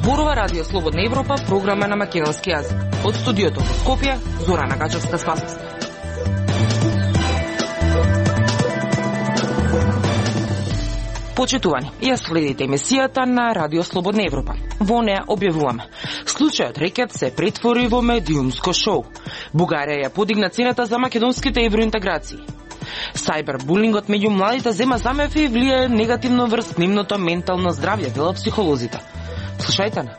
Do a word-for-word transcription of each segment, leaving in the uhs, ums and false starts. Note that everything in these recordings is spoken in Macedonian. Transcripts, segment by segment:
Зборува Радио Слободна Европа, програма на македонски јазик. Од студиото во Скопје, Зорана Гачевска-Спасовска. Почитувани, ја следите емисијата на Радио Слободна Европа. Во неа објавуваме: случајот рекет се претвори во медиумско шоу. Бугарија ја подигна цената за македонските евроинтеграции. Сајбербулингот меѓу младите зема замев и влијае негативно врз нивното ментално здравје, велат психолозите. Слушајте на.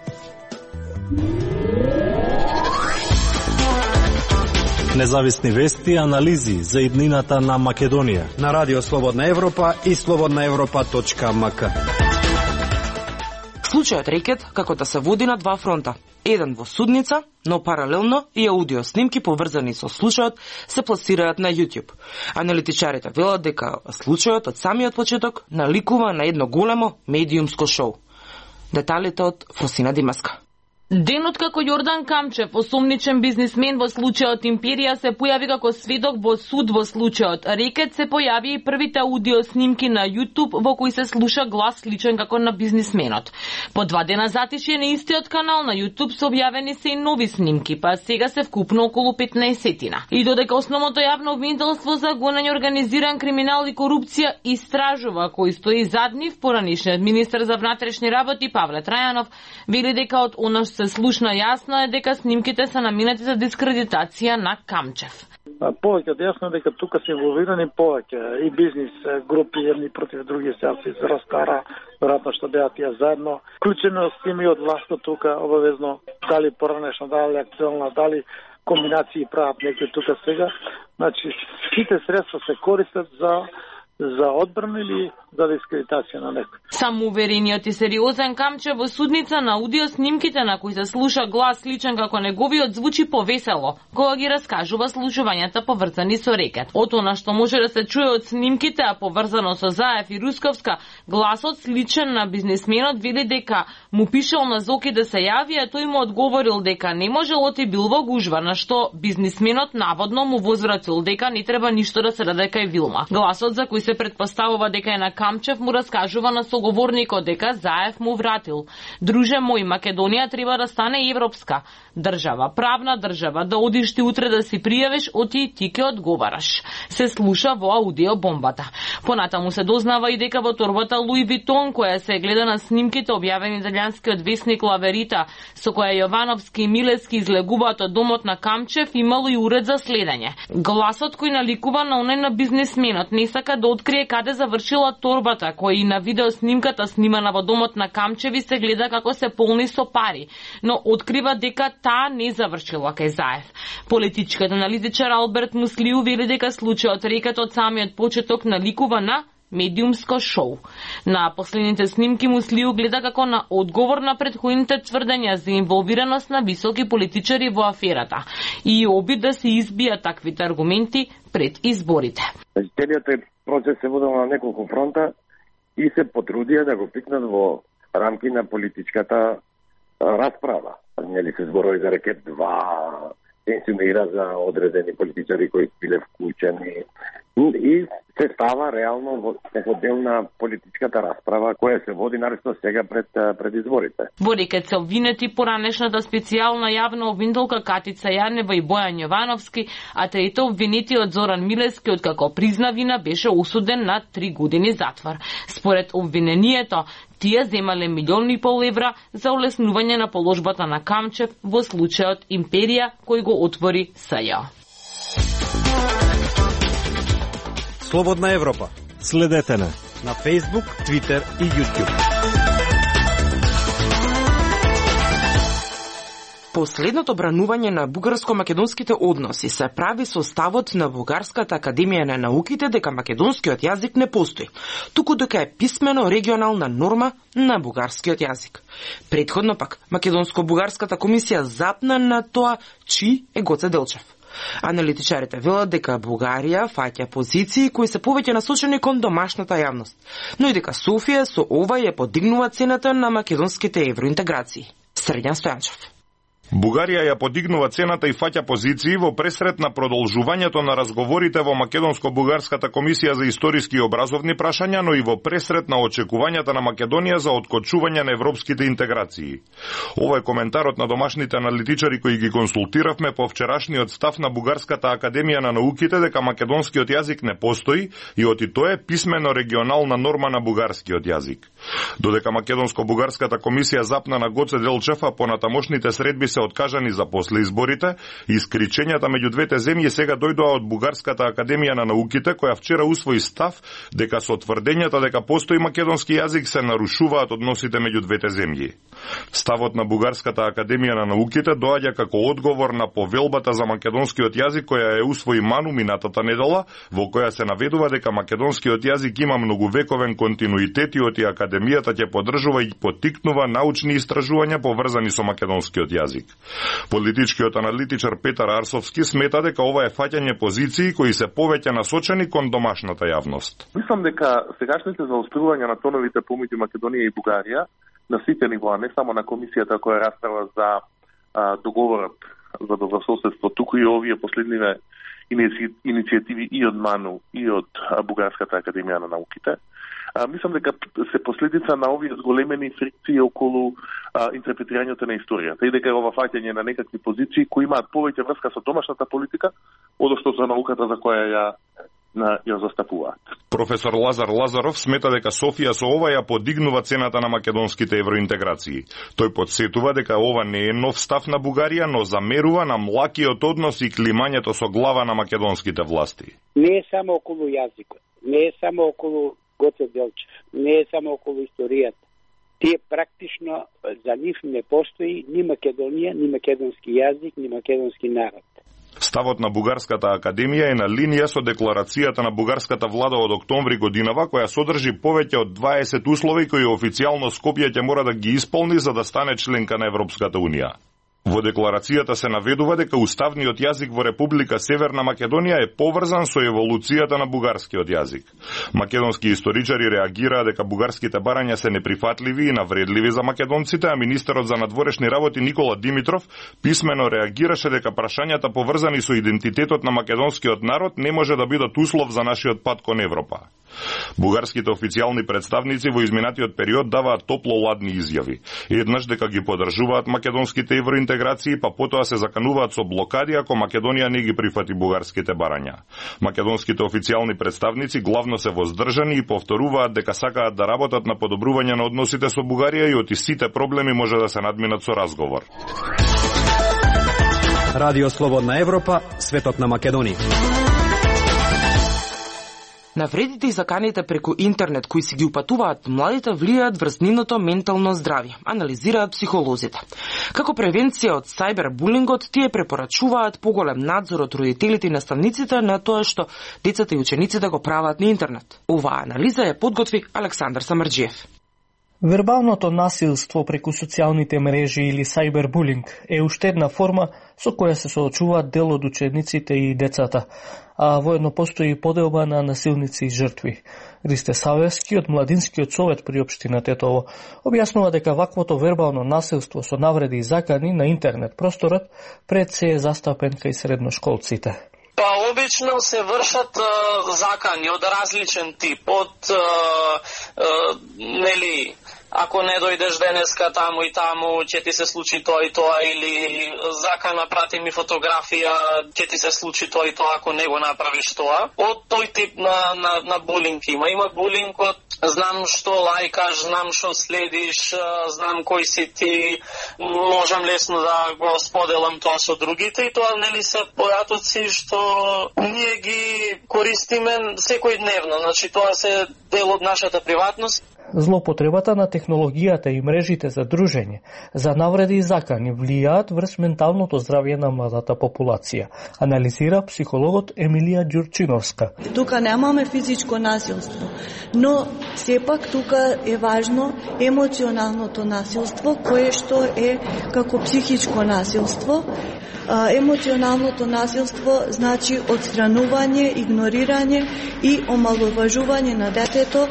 Независни вести и анализи за иднината на Македонија на Радио Слободна Европа и слободна европа точка ем ка. Случајот рекет како да се води на два фронта. Еден во судница, но паралелно и аудио снимки поврзани со случајот се пласираат на YouTube. Аналитичарите велат дека случајот од самиот почеток наликува на едно големо медиумско шоу. Деталите од Фросина Димаска. Денот како Јордан Камчев, осомничен бизнисмен во случајот Империја, се појави како сведок во суд во случајот рекет, се појави и првите аудио снимки на YouTube во кои се слуша глас сличен како на бизнисменот. По два дена затишје на истиот канал на YouTube се објавени се и нови снимки, па сега се вкупно околу петнаесетина. И додека основното јавно обвинителство за гонење организиран криминал и корупција истражува кој стои зад нив, поранишниот министер за внатрешни работи Павле Трајанов вели дека од она што се слушна јасно е дека снимките се наминати за дискредитација на Камчев. Повеќе од јасно е дека тука се инволвирани повеќе и бизнис групи едни против други, сега се разкара, веројатно што беа тие заедно. Вклучено с тими од власта тука обавезно, дали поранешна, дали актуелна, дали комбинации прават некои тука сега. Значи, сите средства се користат за за одбрана или за дискредитација на некој. Самоуверениот и сериозен Камчев во судница на аудио снимките на кои се слуша глас сличен како неговиот звучи повесело, кога ги раскажува случувањата поврзани со рекет. Од она што може да се чуе од снимките, а поврзано со Заев и Русковска, гласот сличен на бизнисменот вели дека му пишал на Зоки да се јави, а тој му одговорил дека не можел и бил во гужва, на што бизнисменот наводно му возвратил дека не треба ништо да се даде кај Вилма. Гласот за кој се предпоставува дека е на Камчев му раскажува на соговорникот дека Заев му вратил: друже мој, Македонија треба да стане европска држава, правна држава, да одиш ти утре да си пријавиш, оти и ти ке одговараш. Се слуша во аудио бомбата. Понатаму се дознава и дека во торбата Луи Витон, која се гледа на снимките објавени италијанскиот весник Лаверита, со која Јовановски и Милески излегуваат од домот на Камчев, имало и уред за следење. Гласот кој наликува на оној на бизнисменот не сака да открие каде завршила торбата, која и на видео снимката снимана во домот на Камчеви се гледа како се полни со пари, но открива дека таа не завршила кај Заев. Политичкиот аналитичар Алберт Муслиу вели дека случајот рекет од самиот почеток наликува на медиумско шоу. На последните снимки Муслиу гледа како на одговор на претходните тврдења за инволвираност на високи политичари во аферата и обид да се избијат таквите аргументи пред изборите. Целиот процес се водел на неколку фронта и се потрудија да го пикнат во рамки на политичката расправа. Нели се зборови за рекет два, инсинуира за одредени политичари кои биле вклучени и се става реално во дел на политичката расправа која се води наресно сега пред пред изборите. Во рекет се обвинети поранешната специјална јавна обвинителка Катица Јанева и Бојан Јовановски, а трето обвинетиот Зоран Милески, откако призна вина, беше осуден на три години затвор. Според обвинението, тие земале милиони и пол евра за олеснување на положбата на Камчев во случајот Империја кој го отвори СЈ. Слободна Европа. Следете на на Facebook, Twitter и YouTube. Последното бранување на бугарско-македонските односи се прави со ставот на Бугарската академија на науките дека македонскиот јазик не постои, туку дека е писмено регионална норма на бугарскиот јазик. Претходно пак Македонско-бугарската комисија запна на тоа чи е Гоце Делчев. Аналитичарите велат дека Бугарија фаќа позиции кои се повеќе насочени кон домашната јавност, но и дека Софија со ова ја подигнува цената на македонските евроинтеграции. Срđan Стојанчев. Бугарија ја подигнува цената и фаќа позиции во пресрет на продолжувањето на разговорите во Македонско-бугарската комисија за историски и образовни прашања, но и во пресрет на очекувањата на Македонија за откочување на европските интеграции. Ова е коментарот на домашните аналитичари кои ги консултиравме по вчерашниот став на Бугарската академија на науките дека македонскиот јазик не постои и оти тоа е писмено регионална норма на бугарскиот јазик. Додека Македонско-бугарската комисија запна на Гоце Делчев, а понатамошните средби се откажани за после изборите, искричењата меѓу двете земји сега дојдоа од Бугарската академија на науките, која вчера усвои став дека со тврдењата дека постои македонски јазик се нарушуваат односите меѓу двете земји. Ставот на Бугарската академија на науките доаѓа како одговор на повелбата за македонскиот јазик која е усвои Ману минатата недела, во која се наведува дека македонскиот јазик има многувековен континуитет и оти академијата ќе поддржува и поттикнува научни истражувања поврзани со македонскиот јазик. Политичкиот аналитичар Петар Арсовски смета дека ова е фаќање позиции кои се повеќе насочени кон домашната јавност. Мислам дека сегашните заострувања на тоновите помеѓу Македонија и Бугарија на сите нивоа, не само на комисијата која расправа за а, договорот за добрососедство, туку и овие последниве иницијативи и од Ману и од Бугарската академија на науките. А, мислам дека се последица на овие зголемени фрикции околу а, интерпретирањето на историјата и дека е ова фаќање на некакви позиции кои имаат повеќе врска со домашната политика, одошто со науката за која ја на ја застапуваат. Професор Лазар Лазаров смета дека Софија со ова ја подигнува цената на македонските евроинтеграции. Тој подсетува дека ова не е нов став на Бугарија, но замерува на млакиот однос и климањето со глава на македонските власти. Не е само околу јазикот, не е само околу Гоце Делчев, не е само околу историјата. Тие практично за нив не постои ни Македонија, ни македонски јазик, ни македонски народ. Ставот на Бугарската академија е на линија со декларацијата на бугарската влада од октомври годинава, која содржи повеќе од дваесет услови кои официјално Скопје ќе мора да ги исполни за да стане членка на Европската унија. Во декларацијата се наведува дека уставниот јазик во Република Северна Македонија е поврзан со еволуцијата на бугарскиот јазик. Македонски историчари реагираа дека бугарските барања се неприфатливи и навредливи за македонците, а министерот за надворешни работи Никола Димитров писмено реагираше дека прашањата поврзани со идентитетот на македонскиот народ не може да бидат услов за нашиот пат кон Европа. Бугарските официјални представници во изминатиот период даваат топло-ладни изјави. Еднаш дека ги поддржуваат македонските евроинтеграции, па потоа се закануваат со блокади ако Македонија не ги прифати бугарските барања. Македонските официјални представници главно се воздржани и повторуваат дека сакаат да работат на подобрување на односите со Бугарија и оти сите проблеми може да се надминат со разговор. Радио Слободна Европа, светот на Македонија. Навредите и заканите преку интернет кои си ги упатуваат младите влијаат врз нивното ментално здравје, анализираат психолозите. Како превенција од сајбербулингот, тие препорачуваат поголем надзор од родителите и наставниците на тоа што децата и учениците го прават на интернет. Оваа анализа ја подготви Александар Самарџиев. Вербалното насилство преку социјалните мрежи или сајбербулинг е уште една форма со која се соочуваат дел од учениците и децата, а воедно постои поделба на насилници и жртви. Ристе Савевски од Младинскиот совет при општина Тетово објаснува дека ваквото вербално насилство со навреди и закани на интернет просторот пред се е застапен кај средношколците. Па обично се вршат а, закани од различен тип, од а, а, нели ако не дојдеш денеска таму и таму, ќе ти се случи тоа и тоа, или закана прати ми фотографија, ќе ти се случи тоа и тоа ако не го направиш тоа. Од тој тип на, на, на булинг има. Има булинг од знам што лајкаш, знам што следиш, знам кој си ти, можам лесно да го споделам тоа со другите, и тоа нели се појатоци што ние ги користиме секојдневно. Значи тоа се дел од нашата приватност. Злоупотребата на технологијата и мрежите за дружење, за навреди и закани влијаат врз менталното здравје на младата популација, анализира психологот Емилија Ѓурчиновска. Тука немаме физичко насилство, но сепак тука е важно емоционалното насилство, кое што е како психичко насилство. Емоционалното насилство значи отстранување, игнорирање и омаловажување на детето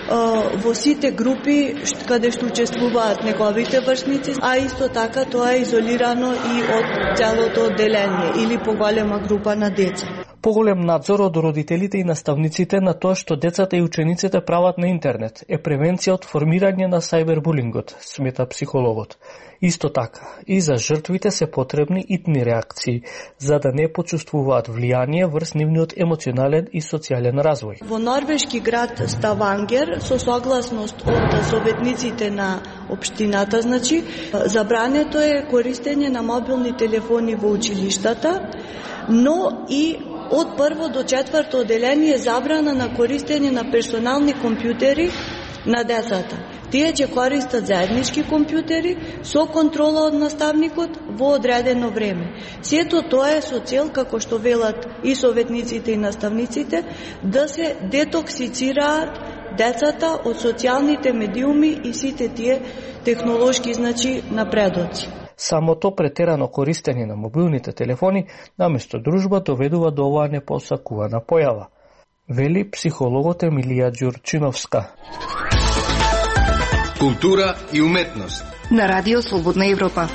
во сите групи каде што учествуваат неговите вршници, а исто така тоа е изолирано и од целото одделение или поголема група на деца. Поголем надзор од родителите и наставниците на тоа што децата и учениците прават на интернет е превенција од формирање на сајбербулингот, смета психологот. Исто така, и за жртвите се потребни итни реакции, за да не почувствуваат влијание врз нивниот емоционален и социјален развој. Во норвешки град Ставангер, со согласност од советниците на општината, значи, забрането е користење на мобилни телефони во училиштата, но и од прво до четврто одделение забрана на користење на персонални компјутери на децата. Тие ќе користат заеднички компјутери со контрола од наставникот во одредено време. Сето тоа е со цел, како што велат и советниците и наставниците, да се детоксицираат децата од социјалните медиуми и сите тие технолошки, значи, напредоци. Самото претерано користење на мобилните телефони наместо дружба доведува до оваа непосакувана појава, вели психологот Емилија Ѓурчиновска. Култура и уметност на Радио Слободна Европа.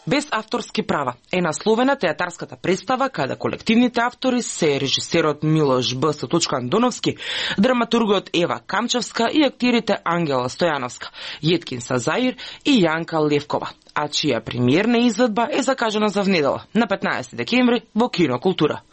Без авторски права е насловена театарската представа каде колективните автори се режисерот Милош Б. Андоновски, драматургот Ева Камчевска и актирите Ангела Стојановска, Јеткин Сазаир и Јанка Левкова, а чија премиерна изведба е закажана за внедела на петнаесети декември во Кино Култура.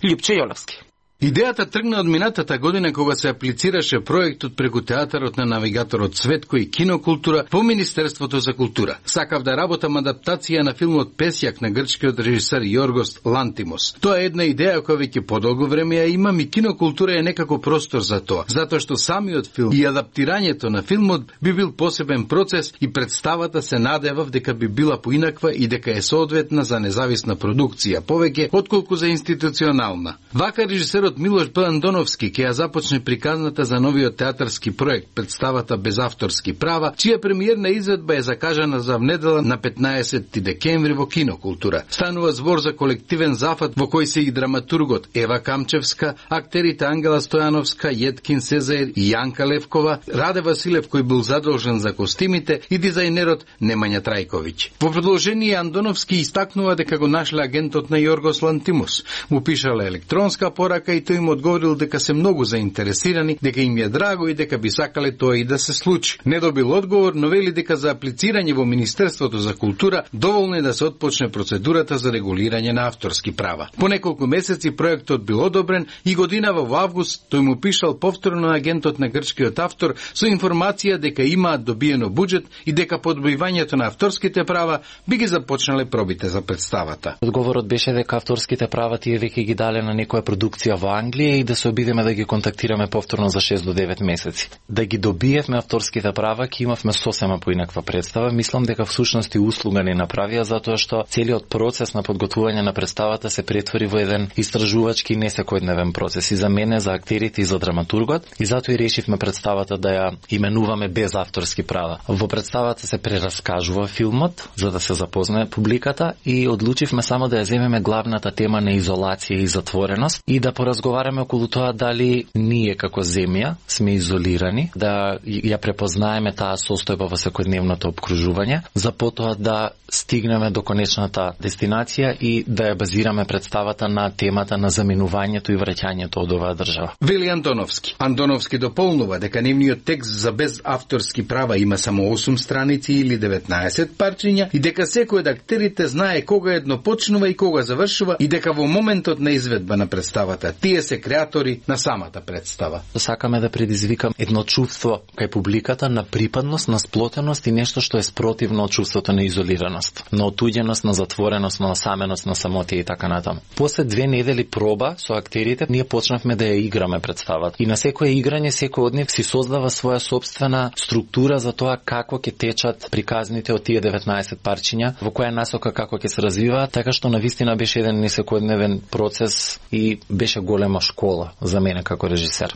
Љупче Јолевски. Идејата тргна од минатата година кога се аплицираше проектот преку театарот на навигаторот Цветко и Кинокултура по Министерството за култура. Сакав да работам адаптација на филмот Песјак на грчкиот режисер Јоргос Лантимос. Тоа е една идеја која веќе подолго време ја имам и Кинокултура е некако простор за тоа, затоа што самиот филм и адаптирањето на филмот би бил посебен процес и представата се надевав дека би била поинаква и дека е соодветна за независна продукција, повеќе отколку за институционална. Вака режисерот Милош Б. Андоновски ќе ја започне приказната за новиот театарски проект, представата без авторски права, чија премиерна изведба е закажана за внедела на петнаесети декември во Кинокултура. Станува збор за колективен зафат во кој се и драматургот Ева Камчевска, актерите Ангела Стојановска, Јеткин Сезаир и Јанка Левкова, Раде Василев кој бил задолжен за костимите и дизајнерот Немања Трајковиќ. Во продолжение Андоновски истакнува дека го нашле агентот на Јоргос Лантимос. Му пишала електронска порака и тој им одговорил дека се многу заинтересирани, дека им е драго и дека би сакале тоа и да се случи. Не добил одговор, но вели дека за аплицирање во Министерството за култура доволно е да се отпочне процедурата за регулирање на авторски права. По неколку месеци проектот бил одобрен и годинава во август тој му пишал повторно на агентот на грчкиот автор со информација дека имаат добиено буџет и дека по одбивањето на авторските права би ги започнале пробите за представата. Одговорот беше дека авторските права тие веќе ги дале на некоја продукција во Англија и да се обидеме да ги контактираме повторно за шест до девет месеци. Да ги добиевме авторските права, ќе имавме сосема поинаква представа. Мислам дека всушност и услуга не направија затоа што целиот процес на подготвување на представата се претвори во еден истражувачки не секојдневен процес и за мене, за актерите и за драматургот, и затоа и решивме представата да ја именуваме без авторски права. Во представата се прераскажува филмот за да се запознае публиката и одлучивме само да ја земеме главната тема на изолација и затвореност и да поразговараме околу тоа дали ние како земја сме изолирани, да ја препознаеме таа состојба во секојдневното обкружување, за потоа да стигнеме до конечната дестинација и да ја базираме представата на темата на заминувањето и враќањето од оваа држава. Вели Андоновски. Андоновски дополнува дека нивниот текст за без авторски права има само осум страници или деветнаесет парчиња и дека секој од актерите знае кога едно почнува и кога завршува и дека во моментот на изведба на представата тие се креатори на самата представа. Сакаме да предизвикам едно чувство кај публиката на припадност, на сплотеност и нешто што е спротивно од чувството на изолираност, на отуѓеност, на затвореност, на осаменост, на самотија и така натаму. После две недели проба со актерите, ние почнавме да ја играме представата. И на секое играње секој од нив си создава своја собствена структура за тоа како ќе течат приказните од тие деветнаесет парчиња, во која насока како ќе се развиваат, така што навистина беше еден несекојдневен процес и беше голема школа за мене како режисер.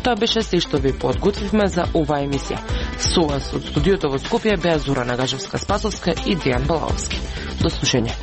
Тоа беше се што ви подготвивме за оваа емисија. Со вас од студиото во Скопје беа Зора Нагажевска-Спасовска и Дејан Балаовски. До слушање.